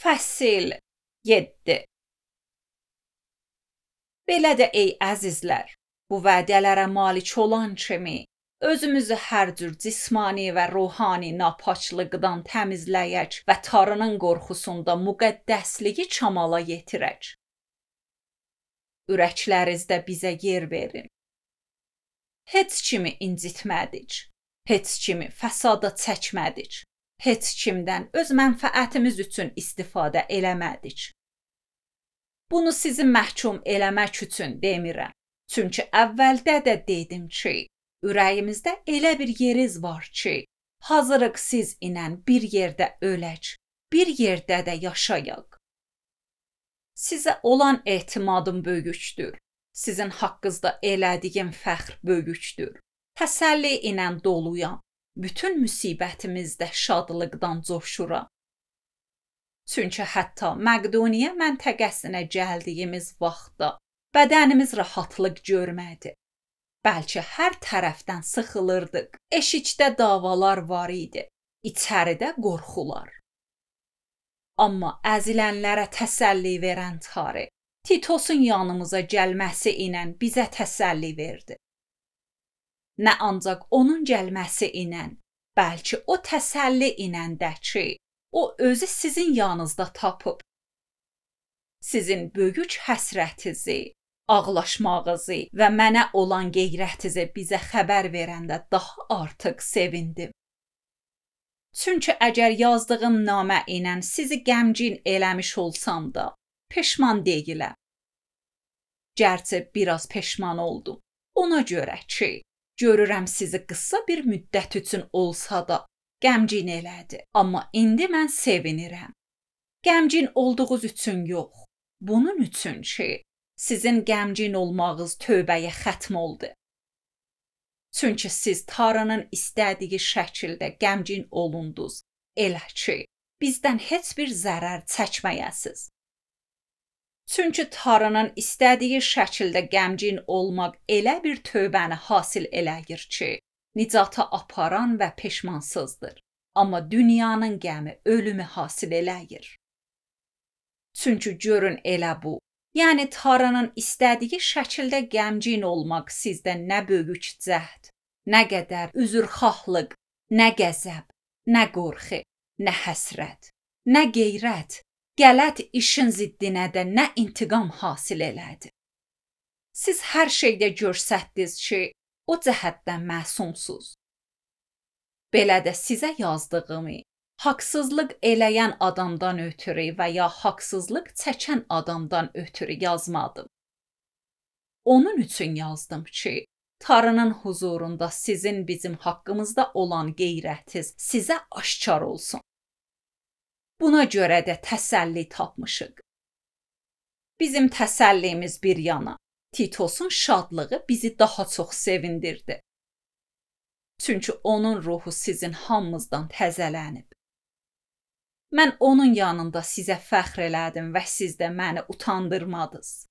Fəsil 7. Belə də ey əzizlər, bu vədələrə malik olan kimi özümüzü hər cür cismani və ruhani napaçlıqdan təmizləyək və Tanrının qorxusunda müqəddəsliyi kamala yetirək. Ürəklərinizdə bizə yer verin. Heç kimi incitmədik, heç kimi fəsada çəkmədik, heç kimdən öz mənfəətimiz üçün istifadə eləmədik. Bunu sizi məhkum eləmək üçün demirəm. Çünki əvvəldə də dedim ki, ürəyimizdə elə bir yeriz var ki, hazırıq siz ilə bir yerdə ölək, bir yerdə də yaşayaq. Sizə olan etimadım böyükdür. Sizin haqqınızda elədiyim fəxr böyükdür. Təsəlli ilə doluyam. Bütün müsibətimizdə şadlıqdan coşuram. Çünki hətta Məqdoniya məntəqəsinə gəldiyimiz vaxtda bədənimiz rahatlıq görmədi. Bəlkə hər tərəfdən sıxılırdıq. Eşikdə davalar var idi. İçəridə qorxular. Amma əzilənlərə təsəlli verən Tanrı Titosun yanımıza gəlməsi ilə bizə təsəlli verdi. Nə ancaq onun gəlməsi ilə, bəlkə o təsəlli ilə də ki, o özü sizin yanınızda tapıb. Sizin böyük həsrətinizi, ağlaşmağınızı və mənə olan qeyrətinizi bizə xəbər verəndə daha artıq sevindim. Çünki əgər yazdığım namə ilə sizi qəmgin eləmiş olsam da, peşman deyiləm. Gərçi biraz peşman oldum. Ona görə ki, görürəm sizi qısa bir müddət üçün olsa da qəmgin elədi. Amma indi mən sevinirəm. Qəmgin olduğunuz üçün yox. Bunun üçün ki, sizin qəmgin olmağınız tövbəyə xətm oldu. Çünki siz Tanrının istədiyi şəkildə qəmgin olundunuz. Elə ki, bizdən heç bir zərər çəkməyəsiz. Çünki Tanrının istədiyi şəkildə qəmgin olmaq elə bir tövbəni hasil eləyir ki, nicata aparan və peşmansızdır. Amma dünyanın qəmi ölümü hasil eləyir. Çünki görün elə bu, yəni Tanrının istədiyi şəkildə qəmgin olmaq sizdə nə böyük cəhd, nə qədər üzrxahlıq, nə qəzəb, nə qorxu, nə həsrət, nə qeyrət, qələt işin ziddinə də nə intiqam hasil elədi. Siz hər şeydə görsətdiniz ki, o cəhətdən məsumsuz. Belə də sizə yazdığımı, haqsızlıq eləyən adamdan ötürü və ya haqsızlıq çəkən adamdan ötürü yazmadım. Onun üçün yazdım ki, Tanrının huzurunda sizin bizim haqqımızda olan qeyrətiniz sizə aşkar olsun. Buna görə də təsəlli tapmışıq. Bizim təsəllimiz bir yana, Titosun şadlığı bizi daha çox sevindirdi. Çünki onun ruhu sizin hamınızdan təzələnib. Mən onun yanında sizə fəxr elədim və siz də məni utandırmadınız.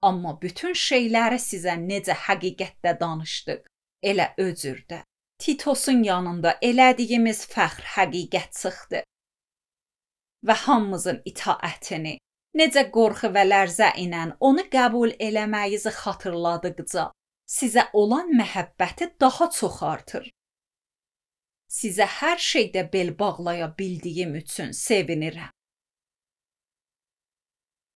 Amma bütün şeyləri sizə necə həqiqətdə danışdıq, elə özürdə. Titosun yanında elədiyimiz fəxr həqiqət çıxdı. Və hamımızın itaətini, necə qorxu və lərzə ilə onu qəbul eləməyinizi xatırladıqca, sizə olan məhəbbəti daha çox artır. Sizə hər şeydə bel bağlaya bildiyim üçün sevinirəm.